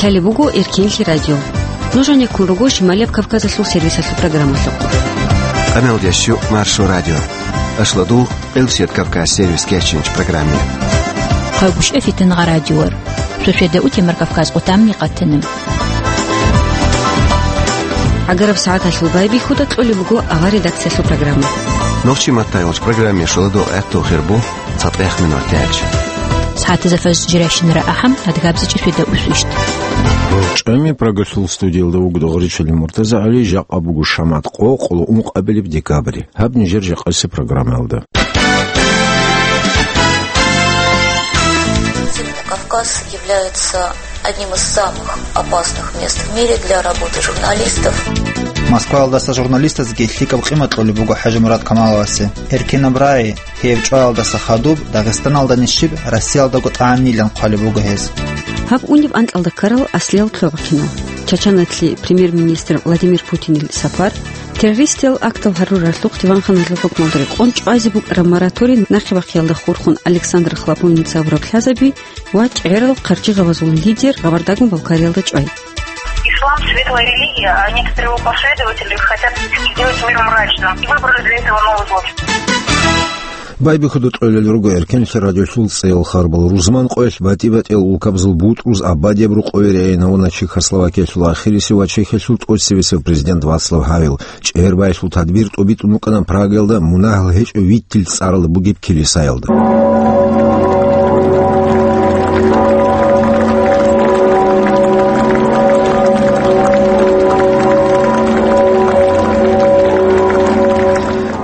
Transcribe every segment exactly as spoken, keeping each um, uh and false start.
Лъалеб буго Эркенлъи радио. Нуж гьанеккун руго Шималияб Кавказалъул сервисалъул программалъухъ. Къамел дящу Маршо радио. Ашладул Элсият Кавказ сервис кечинч программе. Хъагушев Фитнагъа радиор. Суседа утемар Кавказ къутамни къатанам. Агараб сагӀаталъул байбихьуда кьолеб буго авар редакциялъул программа. Нохчи маттайгъуч программе шоладо гӀатту хирбу. ЦатӀех минут тяч. СагӀатазда фаз жиращинара ахӀам, адгабзичӀи светда усвищ. ЧӀами Прагалъул студиялда вуго Догъричилин Муртазагьали, жакъа буго шамат къо, къулу ункъабилеб декабрь. Гьаб нижер жакъаси программаялда. Кавказ является одним из самых опасных мест в мире для работы журналистов. Москваялдаса журналистазги лъикӀаб къимат кьолеб буго ХӀажимурад Камаловасе. Эркинаб рагӀи, гьев чӀваялдаса хадуб, Дагъистаналда нищиб, Россиялдаго тӀагӀинилан хъвалеб буго гьез. Гьаб унеб анкьалда ккарал аслиял лъугӀа-кинал: Чачаналъе премьер-министр Владимир Путинил сапар, террористиял актал гьаруралъухъ диванханалъул хӀукмалда рекъон чӀвазе букӀараб мораторий нахъе бахъиялда хурхун Александр Хлопонница абураб лъазаби ва чӀегӀерал хъарчи гъабазул лидер Кабардагун Балкариялда чӀвай. Ислам — светлая религия, а некоторые его последователи хотят сделать мир мрачным и выбрали для этого Новый год. Байбихьуда тӀолел руго Эркенлъи радиолъул цӀеял харбал. Рузман къоялъ батӀи-батӀиял улкабазул бутӀруз абадияб рукъове регӀинавуна Чехословакиялъул ахирисев ва Чехиялъул тӀоцебесев президент Вацлав Гьавел. ЧӀегӀербаялъул тадбир тӀубитӀун букӀана Прагаялда мунагьал гьечӀев виттил цӀаралда бугеб килисаялда.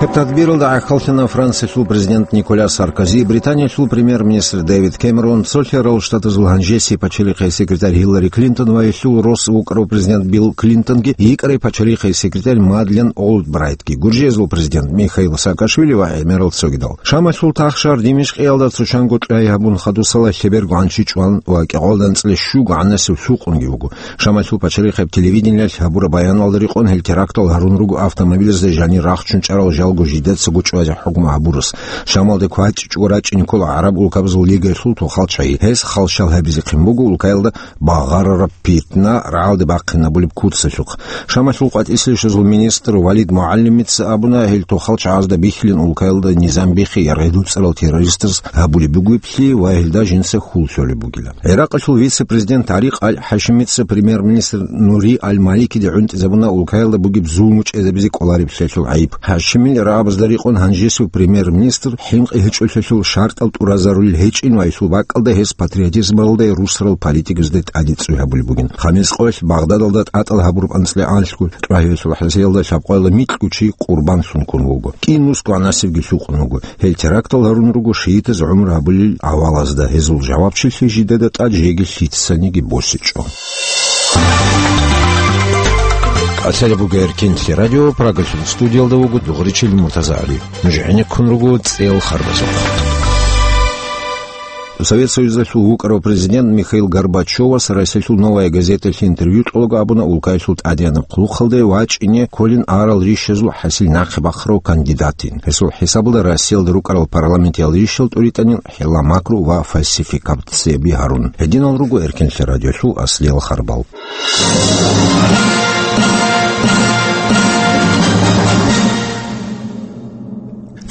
Гьеб тадбиралда гӀахьаллъана Франциялъул президент Николя Саркози, Британиялъул премьер-министр Дэвид Кэмерон, Цолъарал Штатазул гьанжесеб пачалихъе секретарь Гьиллари Клинтон ва гьелъул рос вукӀарав президент Билл Клинтонги, йикӀарай пачалихъе секретарь Мадлен Олбрайтги, Гуржиязул президент Михаил Саакашвили ва гӀемерал цогидал. Шамалъул тахшар Димишкъиялда цо чанго чӀвай гьабун хадусала лъеберго гӀанчи чӀван ва кӀикъоялда анцӀила щуго гӀанасев лъукъунги вуго. Шамалъул пачалихъеб телевидениялъ гьабураб баяналда рекъон гьел терактал гьарун руго автомобилазда жанир рахчун чӀарал жалго жидецаго чӀвазе хӀукму гьабурас. Шамалда кватӀичӀого рачӀине ккола ГӀараб улкабазул лигаялъул тохал чагӀи. Гьез халщал гьабизехъин буго улкаялда багъарараб питна рагӀалде бахъинабулеб куцалъухъ. Шамалъул къватӀисел шозул министр Валид МугӀалимица абуна, гьел тохал чагӀазда бихьилин улкаялда низам бихьи яргъи дуцӀарал террористаз гьабулеб бугеблъи ва гьелда жинца хьул лъолеб бугила. ГӀиракъалъул вице-президент Тарикъ аль-ХӀашимица премьер-министр Нури аль-Маликиде гӀунтӀизабуна улкаялда бугеб зулму чӀезабизе кӀолареб лъелъул гӀайиб. ХӀашимил рагӀабазда рекъон гьанжесев премьер-министр хӀинкъи гьечӀолъелъул шартӀал тӀуразарулел гьечӀин ва гьелъул бакӀалда гьес патриотизмалда русарал политиказдеги тӀадегӀан гьабулеб бугин. Хамис къоялъ Багъдадалда тӀатӀал гьабураб анцӀила гӀанлъго чӀвагьвесул хӀасиялда лъабкъоялда микьгучи къурбан лъун ккун вуго. КӀинусго гӀанасебги лъукъун вуго. Гьел терактал гьарун руго шиитаз гӀумру гьабулел гӀавалазда, гьезул жавабчилъи жидеда тӀад жеги лъицаниги босичӀо. Асала буго Эркенлъи радио, Прагалъул студиялда вуго Дугъричил Муртазагьали. Нуж гӀенеккун руго цӀел харбазухъ. Совет Союзалъул вукӀарав президент Михаил Горбачевас Россиялъул «Новая газеталъе» интервью кьолаго абуна улкаялъул тӀадегӀанаб хъулухъалде вачӀине кколин арал рищазул хӀасил нахъе бахъарав кандидатин. Гьесул хӀисабалда Россиялда рукӀарал парламентиял рищал тӀуритӀанил хӀилла-макру ва фальсификацияби гьарун. Гьединал руго Эркенлъи радиолъул аслиял харбал.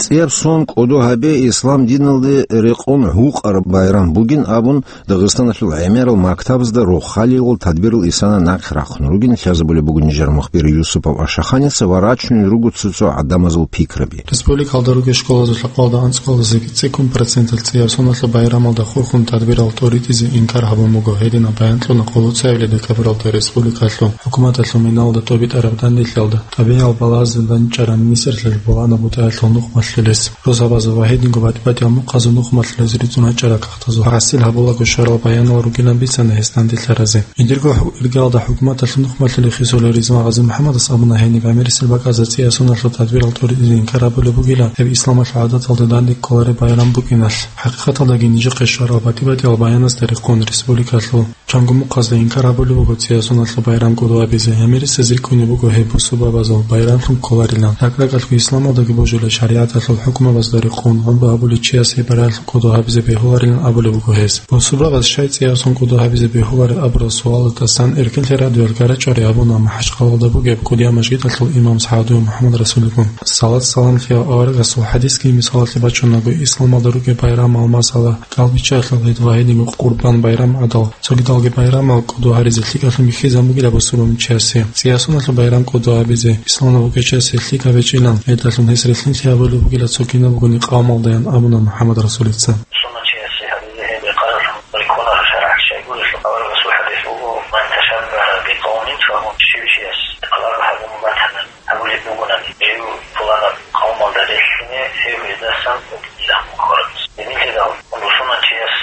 ЦӀияб сон кӀодо гьабе ислам диналде рекъон гьукъараб байрам бугин абун, Дагъистаналъул гӀемерал мактабазда рохалил тадбирал исана нахъ рахъун ругин лъазабулеб буго нижер мухбир Юсупов Ашаханица ва рачунел руго цо-цо гӀадамазул пикраби. Республикалда ругел школазул лъабкъоялда анцӀкъоялдаса цӀикӀкӀун проценталъ цӀияб соналъул байрамалда хурхун тадбирал тӀуритӀизе инкар гьабун буго. Гьединаб баян кьуна къоло цоябилеб декабралда республикалъул хӀукуматалъул миналда тӀобитӀараб данделъиялда. ТӀабигӀиял балагьазда данчӀараб министрлъиялъул балагьанаб бутӀаялъул нухмалъулес, росабазул ва гьединго батӀи-батӀиял мухъазул нухмалъулез рицун гьачӀарал кагътазул хӀасил гьабулаго щварал баянал ругилан бицана гьес данделъаразе. Жиндирго хӀу-, иргаялда хӀукуматалъул нухмалъулев хисулев Ризман ГъазимухӀаммадас абуна, гьениб гӀемерисел бакӀазда цӀияб соналъул тадбирал тӀуритӀизе инкар гьабулеб бугила, гьеб исламалъул гӀадаталда данде кколареб байрам букӀиналъ. ХӀакъикъаталдаги нижехъе щварал батӀи-батӀиял баяназда рекъон республикалъул чанго мухъазда инкар гьабулеб буго цӀияб соналъул байрам кӀодо гьабизе. ГӀемерисез рикӀкӀунеб буго гьеб бусурбабазул байрамлъун кколарилан. РакӀ-ракӀалъго исламалдаги божулеб шаригӀат Алъул хӀукмабазда рекъон гъумба гьабулев чиясе байрамалъул кӀодо гьабизе бегьуларилан абулеб буго гьес. Бусурбабаз щай цӀияб сон кӀодо гьабизе бегьулареб абурал суалалдасан Эркинлъи радиоялъ гарачӀварай гьабуна МахӀачхъалалда бугеб КӀудиял мажгиталъул имам СагӀадиев МухӀаммад Расулица. Салат-салам лъеяв аварагасул хӀадисги мисалалъе бачунаго, исламалда ругел байрамал, масала, кӀалбиччаялъул гӀид ва гьединго Къурбан байрам гӀадал, цогидалги байрамал кӀодо гьаризе лъикӀаблъун бихьизабун бугила бусурманчиясе. ЦӀиясуналъул байрам кӀодо гьабизе исламалда вукӀинчиясе лъикӀаб гьечӀилан, гьелдалъун гьес релълъинлъи гьабулеб бугила цо кинаб бугони къавмалдаян абуна МухӀаммад Расулица. Суннатчиясе гьабизе гьеб рекъаралъун рекъона шаргӀалъ щайгурелъул, аварагасул хӀадис буго: «Ман ташаббагьа бикъавмин, фагьуа». Щив чияс къалаб гьабун батани, гьабулеб бугони, жив пуланаб къавмалда релълъине, гьев гьездасан вукӀинчӀила хъвараб. Гьединлъидал бусурманчияс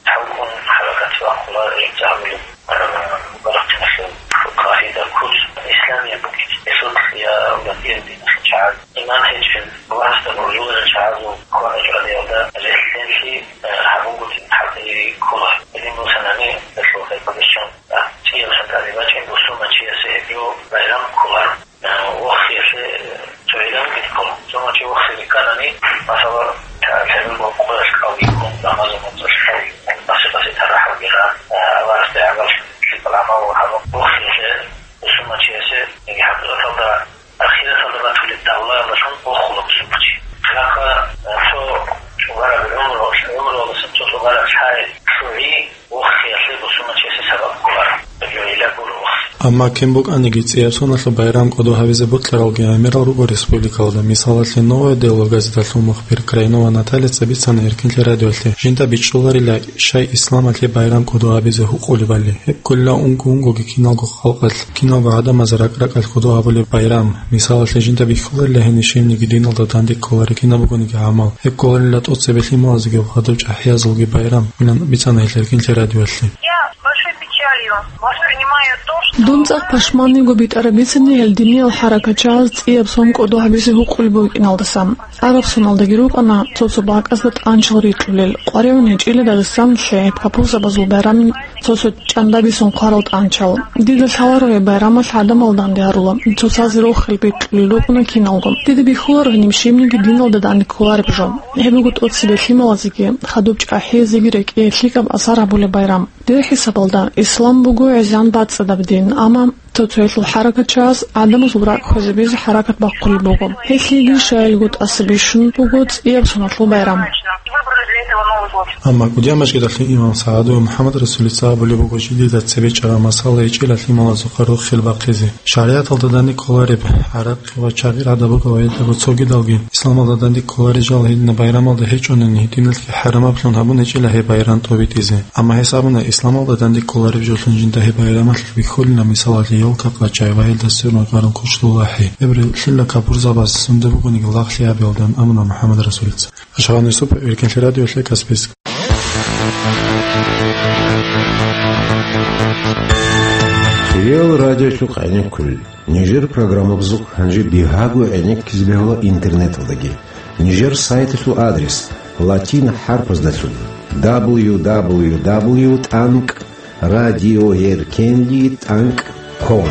хӀалкӀун хӀаракат бахъула жинца гьабулеб, а, баракъиналъул къагӀида, куц, исламияб букӀин, гьесулъ я авлад ирбиналъул чагӀаз, иман гьечӀел, Аллагьасда гуржуларел чагӀазул кванач радиалда релълъинлъи, а, гьабунгутӀи хӀалтӀиги ккола. Гьедин бусанани, гьелъул хӀакъалъулъ чан, а, цӀияб сан тӀаде бачӀин бусурманчиясе гьеб жо байрам кколаро. Вохиялъе цо гӀилан бихъула. Цо чи вохизе рикканани, масала, лъабил къоялъ кӀалги ккун, рамазан моцӀалъ кӀалги ккун, къаси-къаси тарахӀалги ран, аварагасде гӀагарлъун лъикӀал гӀамал гьабун, вохиялъе бусурманчиясе, яги хӀакъикъаталда ахираталда батулеб давлаялдалъун вохула бусурманчи. Хирахъа цо цӀугараб гӀумру, гӀумруялдаса цо цӀугараб лъай лъугӀи, вохиялъе бусурманчиясе сабаб кколаро. Гьеб жо гӀилла гуро вохи. Амма кин букӀаниги, цӀияб соналъул байрам кӀодо гьабизе бокьаралги гӀемерал руго республикалда. Мисалалъе, «Новое дело» газеталъул мухбир Крайнова Натальяца бицана Эркинлъи радиоялъе, жинда бичӀчӀуларила, щай исламалъе байрам кӀодо гьабизе гьукъулебали. Гьеб кколила унго-унгоги киналго халкъалъ, киналго гӀадамаз ракӀ-ракӀалъ кӀодо гьабулеб байрам. Мисалалъе, жинда бихьуларила гьениб щибниги диналда данде кколареб кинаб бугониги гӀамал. Гьеб кколарила тӀоцебе лъималазулги ва хадуб чӀахӀиязулги байрам, илан бицана гьелъ Эркинлъи радиоялъе. Я с большой печалью воспринимаю то, что... Дун цӀакъ пашманниго битӀараб бицани гьел диниял хӀаракатчагӀаз цӀияб сон кӀодо гьабизе гьукъулеб букӀиналдаса. ГӀараб соналдаги рукӀана цо-цо бакӀазда тӀанчал рикьулел, къваригӀун гьечӀила Дагъистан шагьид капурзабазул байрамил цо-цо чӀандабисон хъварал тӀанчал. Дида лъаларо гьеб байрамалъ гӀадамал данде гьарула, цоцазе рохел бекьулел рукӀуна киналго. Дида бихьуларо гьениб щибниги диналда данде кколареб жо. Гьеб буго тӀоцебе лъималазеги, хадуб чӀахӀиязеги рекӀее лъикӀаб асар гьабулеб байрам. Дир хӀисабалда, ислам буго гӀезегӀан бацӀцӀадаб дин, амма цо-цоялъул хӀаракатчагӀаз гӀадамазул ракӀ хвезабизе хӀаракат бахъулеб буго. Гьелъиеги щайилго тӀаса бищун буго цӀияб соналъул байрам. Амма КӀудиял мажгиталъул имам СагӀадиев МухӀаммад Расулица абулеб буго, жидеда цебе чӀараб масала гьечӀила лъималазухъа рохел бахъизе. ШаригӀаталда данде кколареб гӀараб ва чагъир гӀадаб буго ва гьелдаго цогидалги исламалда данде кколарел жал гьединаб байрамалда гьечӀони, гьединалъги хӀарамаблъун гьабун гьечӀила гьеб байрам тӀобитӀизе. Амма гьес абуна, исламалда данде кколареб жолъун жинда гьеб байрамалъулъ бихьулина, мисалалъе, ёлка-къачай ва гьелда сверун гъарун кучдул ахӀи. Гьеб релълъила капурзабаз сунда бугониги лагълъи гьабиялдан, абуна МухӀаммад Расулица. Ашгъан Юсупов, Эркинлъи радиоялъе, Каспийск. Хириял радиолъухъ гӀенеккулел. Нижер программабазухъ гьанже бигьаго гӀенеккизе бегьула интернеталдаги. Нижер сайталъул адрес латин хӀарпаздалъун: дабл ю дабл ю дабл ю тӀанкӀ радиоэркенлъи тӀанкӀ ком.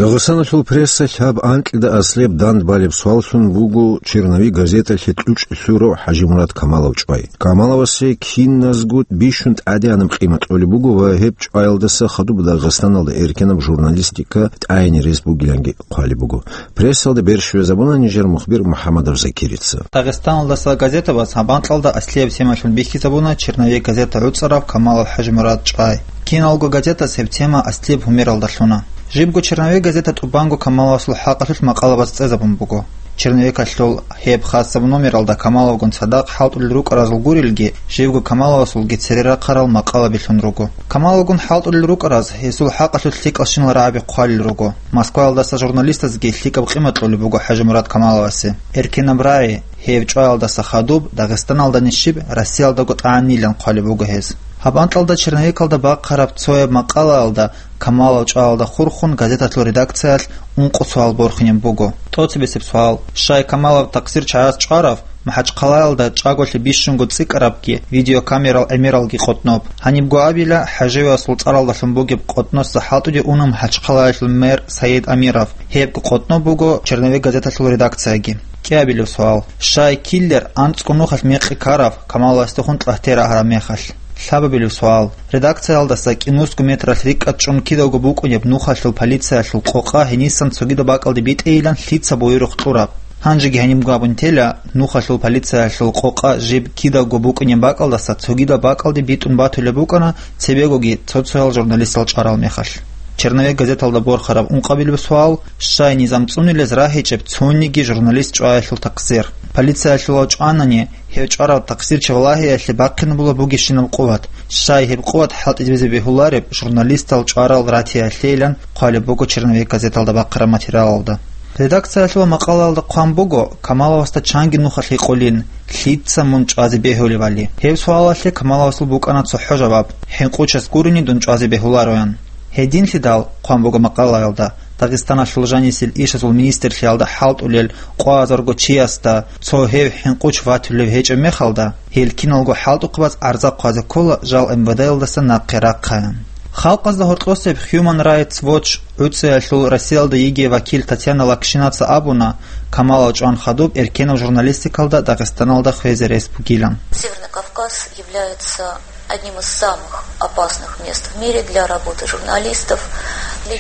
Дагъистаналъул прессалъ гьаб анкьида аслияб дандбалеб суаллъун буго «Черновик» газеталъе кьучӀлъурав ХӀажимурад Камалов чӀвай. Камаловасе киназго бищун тӀадегӀанаб къимат кьолеб буго ва гьеб чӀваялдаса хадуб Дагъистаналда эркенаб журналистика тӀагӀине рес бугиланги хъвалеб буго. Прессалда бер щвезабуна нижер мухбир МухӀаммадов Закирица. Дагъистаналдаса газетабаз гьаб анкьалда аслияб темалъун бихьизабуна «Черновик» газета гӀуцӀарав Камалов ХӀажимурад чӀвай. Киналго газетас гьеб тема аслияб гьумералда лъуна. Жибго «Черновик» газета тӀубанго Камаловасул хӀакъалъулъ макъалабаз цӀезабун буго. «Черновикалъул» гьеб хасаб номералда Камаловгун цадахъ хӀалтӀулел рукӀаразул гурелги, живго Камаловасулги цере рахъарал макъалабилъун руго. Камаловгун хӀалтӀулел рукӀараз гьесул хӀакъалъулъ лъикӀал щинал рагӀаби хъвалел руго. Москваялдаса журналистазги лъикӀаб къимат кьолеб буго ХӀажимурад Камаловасе. Эркенаб рагӀи, гьеб чӀваялдаса хадуб Дагъистаналда нижиб, Россиялдаго тӀагӀинилан хъвалеб буго гьес. Гьаб анкьалда «Черновикалда» бахъараб цояб макъалаялда Камалов чӀваялда хурхун газеталъул редакциялъ ункъо суал борхинеб буго. ТӀоцебесеб суал: щай Камалов такъсир чагӀаз чӀварав, МахӀачхъалаялда чӀаголъи бищунго цӀикӀкӀарабги, видеокамерал гӀемералги къотӀноб. Гьанибго абила, ХӀаживасул цӀаралдалъун бугеб къотӀноса хӀалтӀуде уна МахӀачхъалаялъул мэр Саид Амиров. Гьебго къотӀноб буго «Черновик» газеталъул редакцияги. КӀиабилеб суал: щай киллер анцӀго нухалъ мекъи ккарав, Камаловасдехун тӀагьте рагьараб мехалъ? Лъабабилеб суал: редакциялдаса кӀинусго метралъ рикӀкӀад чӀун кидаго букӀунеб нухалъул полициялъул къокъа гьенисан цогидаб бакӀалде битӀейилан лъица буюрухъ кьураб? Гьанжеги гьанибго абун тела, нухалъул полициялъул къокъа жиб кидаго букӀунеб бакӀалдаса цогидаб бакӀалде битӀун батулеб букӀана цебегоги цо-цоял журналистал чӀварал мехалъ. «Черновик» газеталда борхараб ункъабилеб суал: щай низам цӀунилез рагьичӀеб цониги журналист чӀваялъул такъсир? Полициялъулав чӀванани, гьев чӀварав такъсирчи валагьиялъе бахъинабула бугищинаб къуват. Щай гьеб къуват хӀалтӀизабизе бегьулареб журналистал чӀварал ратиялъейилан хъвалеб буго «Черновик» газеталда бахъараб материалалда. Редакциялъул макъалаялда хъван буго, Камаловасда чанги нухалъ гьикъулин, лъица мун чӀвазе бегьулевали. Гьеб суалалъе Камаловасул букӀана цохӀо жаваб: «ХӀинкъучас гурони дун чӀвазе бегьулароян». Гьединлъидал, хъван буго макъалаялда, Дагъистаналъул жанисел ишазул министрлъиялда хӀалтӀулел къоазарго чиясда цо гьев хӀинкъуч ватулев гьечӀеб мехалда, гьел киналго хӀалтӀухъабаз гӀарза хъвазе ккола жал МВД-ялдаса нахъе рахъаян. Халкъазда гьоркьосеб Human Rights Watch гӀуцӀиялъул Россиялда йигей вакил Татьяна Лакшинаца абуна, Камалов чӀван хадуб эркенаб журналистикалда Дагъистаналда хвезе рес бугилан. Северный Кавказ является одним из самых опасных мест в мире для работы журналистов.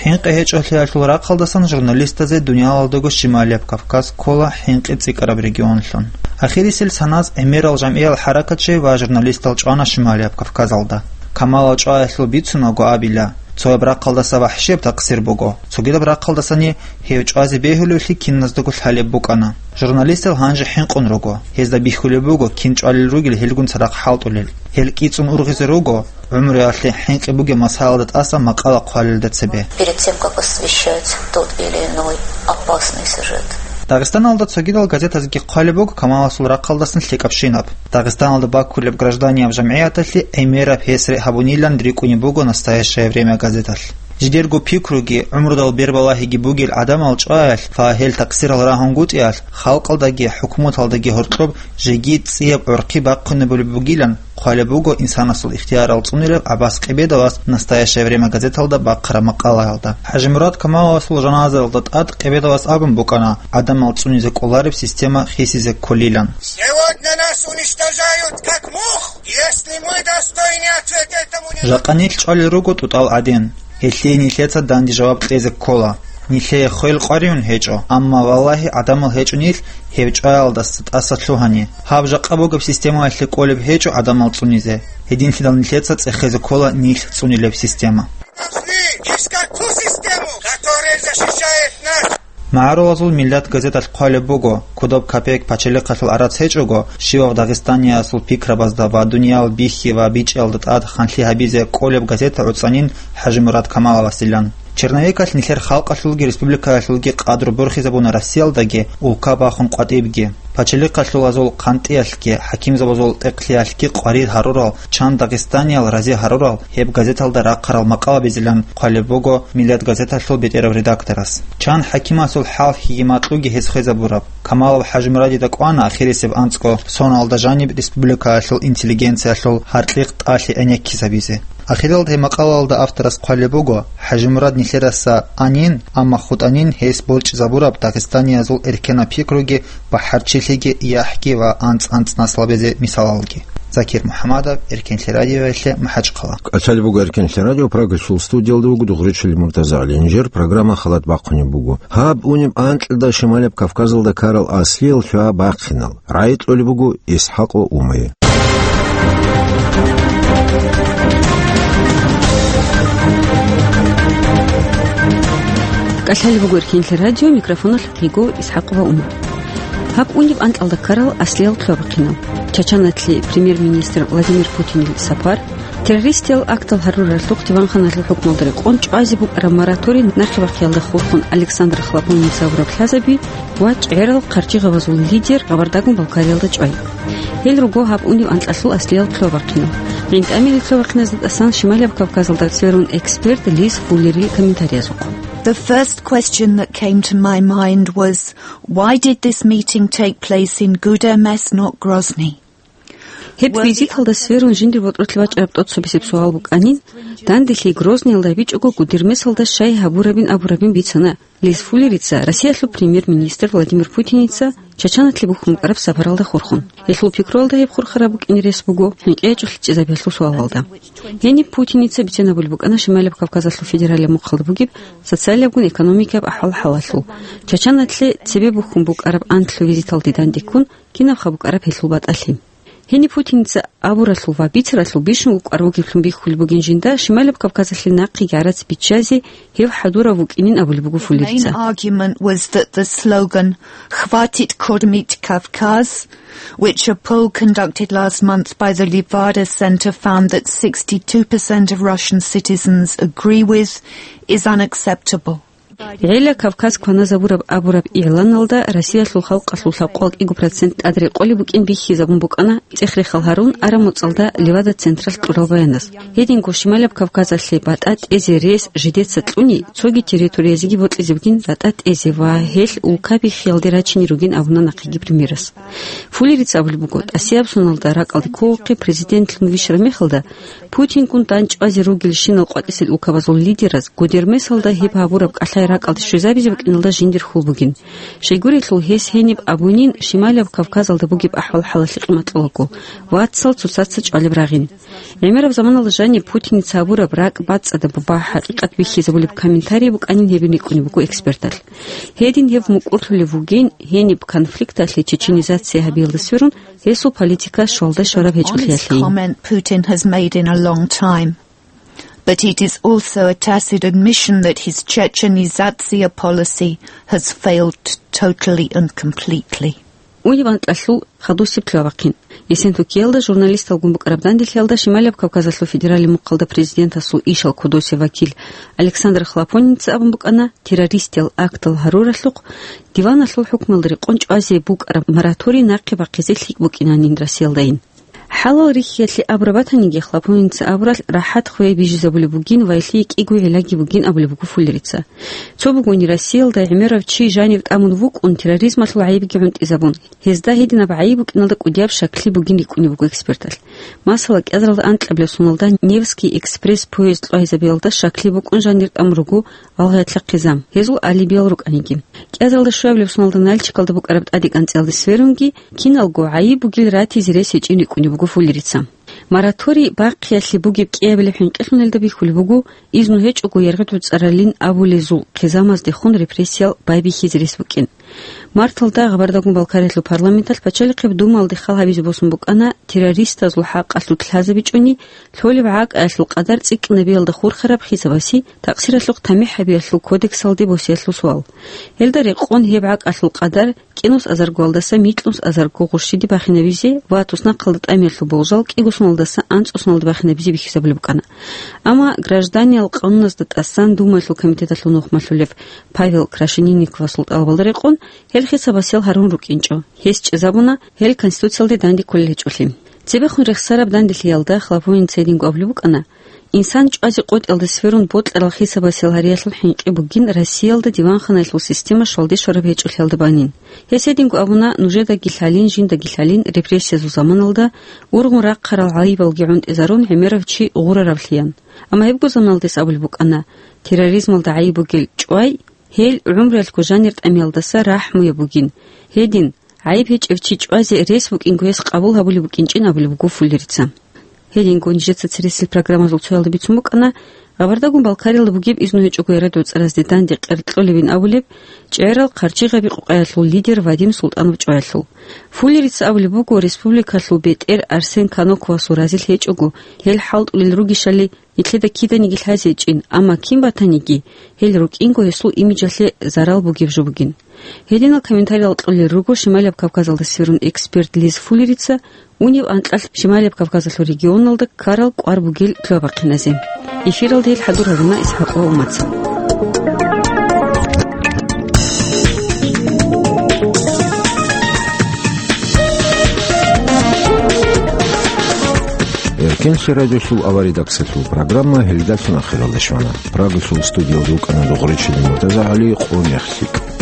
ХӀинкъи гьечӀолъиялъул рахъалдасан журналистазе дуниялалдаго Шималияб Кавказ ккола хӀинкъи цӀикӀкӀараб регионлъун. Ахирисел саназ гӀемерал жамгӀиял хӀаракатчи ва журналистал чӀвана Шималияб Кавказалда. Камалов чӀваялъул бицунаго абила, цояб рахъалдаса вахӀшияб такъсир буго, цогидаб рахъалдасани гьев чӀвазе бегьулевлъи киназдаго лъалеб букӀана. Журналистал гьанже хӀинкъун руго, гьезда бихьулеб буго кин чӀвалел ругел гьелгун цадахъ хӀалтӀулел. Гьел кӀицӀун ургъизе руго гӀумруялъе хӀинкъи бугеб масалалда тӀаса макъала хъвалелда цебе. Перед тем, как освещать тот или иной опасный сюжет. Дагъистаналда цогидал газетазги хъвалеб буго Камаласул рахъалдасан лъикӀабщинаб. Дагъистаналда баккулеб гражданияб жамгӀияталъе гӀемераб гьес регь гьабунилан рикӀкӀунеб буго «Настоящее время» газеталъ. Жидерго пикруги, гӀумрудал бербалагьиги бугел гӀадамал чӀваялъ ва гьел такъсирал рагьунгутӀиялъ, халкъалдаги хӀукуматалдаги гьоркьоб жеги цӀияб гӀурхъи бахъунебулеб бугилан хъвалеб буго инсанасул ихтиярал цӀунилев ГӀаббас Къебедовас «Настоящее время» газеталда бахъараб макъалаялда. ХӀажимурад Камаловасул жаназаялда тӀад Къебедовас абун букӀана гӀадамал цӀунизе кӀолареб система хисизе кколилан. Сегодня нас уничтожают как мух. Если мы достойны ответа этому не... Жакъа нилъ чӀвалел руго тӀутӀал гӀадин. Гьелъие нилъеца данде жаваб кьезе ккола. Нилъее хвел къвариюн гьечӀо, амма, валлагьи, гӀадамал гьечӀо нилъ гьев чӀваялдаса тӀаса лъугьани. Гьаб жакъа бугеб системаялъе кӀолеб гьечӀо гӀадамал цӀунизе. Гьединлъидал нилъеца цӀехезе ккола нилъ цӀунилеб система. Нашли искать ту систему, которая защищает нас. МагӀарулазул Миллат газеталъ хъвалеб буго, кодоб капек пачалихъалъул гӀарац гьечӀого, щивав дагъистаниясул пикрабазда ва дуниял бихьи ва бичӀчӀиялда тӀад ханлъи гьабизе кӀолеб газета гӀуцӀанин ХӀажимурад Камаловасилан. Черновикалъ нилъер халкъалъулги республикаялъулги къадру борхизабуна Россиялдаги, улка бахун къватӀибги. Пачалихъалъулазул хъантӀиялъги, хӀакимзабазул тӀекълъиялъги къварид гьарурал, чан дагъистаниял рази гьарурал гьеб газеталда рахъарал макъалабизилан хъвалеб буго Миллат газеталъул бетӀерав редакторас. Чан хӀакимасул хӀалхьиги макьуги гьес хвезабураб. Камалов ХӀажимурадида кӀвана ахирисеб анцӀго соналда жаниб республикаялъул интеллигенциялъул гьаркьихъ тӀалъи гӀенеккизабизе. Ахиралда гьеб макъалаялда авторас хъвалеб буго, ХӀажимурад нилъераса анин, амма хутӀанин гьес борчӀизабураб дагъистаниязул эркенаб пикруги, бахӀарчилъиги, яхӀги ва анцӀ-анцӀ наслабазе мисалалги. Закир МухӀамадов, Эркенлъи радиоялъе, МахӀачхъала. КӀалъалеб буго Эркенлъи радио, Прагасул студиялда вуго Дугъричили МуртазагӀалингьир, программа халат бахъунеб буго. Гьаб унеб анкьида Шималияб Кавказалда ккарал аслиял лъугьа-бахъинал. РагӀи кьолеб буго ИсхӀакъ ва Умае. КӀалъалеб буго Эркенлъи радио, микрофоналъ лъикӀго ИсхӀакъ ва Ума. Гьаб унеб анкьалда ккарал аслиял лъугьа-бахъинал. Чачаналъе премьер-министр Владимир Путинил сапар, террористиял актал гьаруралъухъ диванханалъул хӀукмалда рекъон чӀвазе букӀараб мораторий нахъе бахъиялда хурхун Александр Хлопонница гьабураб лъазаби ва чӀегӀерал хъарчӀигъабазул лидер Кабардагун-Балкариялда чӀвай. Гьел руго гьаб унеб анкьалъул аслиял лъугьа-бахъинал. ГӀинтӀамилел лъугьа-бахъиназда тӀасан Шималияб Кавказалда цӀерун эксперт Лиз Фуллерил комментариязухъ. The first question that came to my mind was, why did this meeting take place in Гудермес, not Грозный? Гьеб визиталда сверун жиндир ботӀролъи бачӀараб тӀоцебесеб суал букӀанин, данделъи Грозныйалда гьабичӀого Гудермесалда щай гьабурабин абурабин бицана Лиз Фуллерица Россиялъул премьер-министр Владимир Путиница Чачаналъе бухьун букӀараб сапаралда хурхун. Гьелъул пикруялда гьеб хурхараб букӀине рес буго хӀинкъи гьечӀолъи чӀезабиялъул суалалда. Гьениб Путиница бицана бугеб букӀана Шималияб Кавказалъул федералияб мухъалда бугеб социалиябгун экономикияб ахӀвал-хӀалалъул, Чачаналъе цебе бухьун букӀараб анлъго визиталде дандеккун кинабха букӀараб гьелъул батӀалъи. Гьениб Путиница абуралъул ва бицаралъул бищун букӀар бугеблъун бихьулеб бугин жинда Шималияб Кавказалъе нахъеги гӀарац биччазе гьев хӀадурав вукӀинин абулеб буго Фуллерица. Main argument was that the slogan «Хватит кормить Кавказ», which a poll conducted last month by the Levada Center found that sixty-two percent of Russian citizens agree with, is unacceptable. ГӀела Кавказ кваназабураб абураб игӀланалда Россиялъул халкъалъул лъабкъоялда кӀиго процент тӀад рекъолеб букӀин бихьизабун букӀана цӀех-рехал гьарун араб моцӀалда Левада централъ кьурал баянас. Гьединго Шималияб Кавказалъе батӀа тӀезе рес жидеца кьуни, цоги территориязеги бокьизебгин батӀа тӀезе ва гьелъ улка биххиялде рачине ругин абуна нахъеги премьерас. Фуллерица абулеб буго, тӀасияб соналда ракӀалде ккоухъе президентлъун вищараб мехалда, Путингун дандчӀвазе ругелщинал къватӀисел улкабазул лидераз Гудермесалда гьеб гьабураб кӀалъай ракӀалде щвезабизе букӀиналда жиндир хьул бугин. Щайгурелъул гьес гьениб абунин Шималияб Кавказалда бугеб ахӀвал-хӀалалъе къимат кьолаго, вацал цоцаца чӀвалеб рагъин. ГӀемераб заманалда жаниб Путиница гьабураб ракӀ бацӀцӀадаб ва хӀакъикъат бихьизабулеб комментарий букӀанин гьебин рикӀкӀунеб буго эксперталъ. Гьедин гьеб мукӀурлъулев вугин гьениб конфликталъе чеченизация гьабиялда сверун гьесул политика щвалда щвараб гьечӀолъиялъейин. Comment Putin has made in a long time. But it is also a tacit admission that his Chechenization policy has failed totally and completely. Униб анкьалъул хадусеб лъугьа-бахъин. Ясен Тукиялда журналисталгун букӀараб данделъиялда Шималияб Кавказалъул федералияб мухъалда президентасул ишал кодосев вакил Александр Хлопоница абун букӀана, террористиял актал гьаруралъухъ диваналъул хӀукмалда рекъон чӀвазе букӀараб мораторий нахъе бахъизе лъикӀ букӀинанин Россиялдайин. ХӀалал рихьиялъе абураб батаниги, Хлопоница абуралъ рахӀат хвей бижизабулеб бугин ва гьелъие кӀиго гӀиллаги бугин абулеб буго Фуллерица. Цо бугони, Россиялда гӀемерав чи жанив тӀамун вукӀун, терроризмалъул гӀайибги гӀунтӀизабун, гьезда гьединаб гӀайиб букӀиналда кӀудияб щаклъи бугин рикӀкӀунеб буго эксперталъ. Масала, кӀиазаралда анкьабилеб соналда Невский экспресс поезд кьвагьизабиялда щаклъи букӀун жанир тӀамун руго гьалгъиялъул хъизан, гьезул алибиял рукӀаниги. КӀиазаралда щуабилеб соналда Нальчикалда букӀараб тӀадекӀанцӀиялде сверунги киналго гӀайиб бугин ратизе рес гьечӀин рикӀкӀунеб буго Фуллерица. Мораторий бахъиялъе бугеб кӀиабилеб хӀинкъилъун гьелда бихьулеб буго изну гьечӀого яргъи-дуцӀаралин абулезул хъизамаздехун репрессиял байбихьизе рес букӀин. Марталда Гъабардагун Балкариялъул парламенталъ Пачалихъеб Думаялде хал гьабизе босун букӀана террористазул хӀакъалъулъ лъазабичӀони лъолеб гӀакъалъул къадар цӀикӀкӀинабиялда хурхараб хисабасе такъсиралъухъ тамихӀ гьабиялъул кодексалде босиялъул суал. Гьелда рекъон гьеб гӀакъалъул къадар кӀинус азаргоялдаса микьнус азарго гъурщиде бахинабизе ва туснахъалда тӀамиялъул болжал кӀиго соналдаса анцӀго соналде бахинабизе бихьизабулеб букӀана. Амма гражданиял къануназда тӀасан Думаялъул комитеталъул нухмалъулев Павел Крашенинниковасул тӀалабалда рекъон гьел хисабасел гьарун рукӀинчӀо. Гьес чӀезабуна гьел Конституциялде данде кколел гьечӀолъи. Цебехун рехсараб данделъиялда Хлопоница гьединго абулеб букӀана, инсан чӀвазе къотӀиялда сверун бокьарал хисабасел гьариялъул хӀинкъи бугин Россиялда диванханаялъул система щвалде щвараб гьечӀолъиялда банин. Гьес гьединго абуна, нужедаги лъалин, жиндаги лъалин, репрессиязул заманалда ургъун рахъарал гӀайибалги гӀунтӀизарун гӀемерав чи гъураравлъиян. Амма гьебго заманалда гьес абулеб букӀана, терроризмалда гӀайиб бугел чӀвай, гьел гӀумруялъго жанир тӀамиялдаса рахӀмуяб бугин. Гьедин, гӀайиб гьечӀев чи чӀвазе рес букӀинго гьес къабул гьабулеб букӀинчӀин абулеб буго Фуллерица. Гьединго нижеца цересел программазул цоялда бицун букӀана Гъабардагун Балкариялда бугеб изну гьечӀого яргъи-дуцӀаразде данде къеркьолебин абулеб чӀегӀерал хъарчӀигъаби къукъаялъул лидер Вадим Султанов чӀваялъул. Фуллерица абулеб буго, республикалъул бетӀер Арсен Каноковасул разилъи гьечӀого, гьел хӀалтӀулел ругищали, нилъеда киданиги лъазе гьечӀин, амма кин батаниги, гьел рукӀинго гьесул имиджалъе зарал бугеб жо бугин. Гьединал комментариял кьолел руго Шималияб Кавказалда сверун эксперт Лиз Фуллерица унеб анкьалъ Шималияб Кавказалъул регионалда ккарал кӀвар бугел лъугьа-бахъиназе. Эфиралда гьел хӀадур гьаруна ИсхӀакъ ва Умаца. Генлъи радиолъул аваридаксалъул программа гьелдалъун ахиралде щвана. Прагалъул студиялда рукӀана Дугъричилин МуртазагӀали, Къо мех лъикӀ.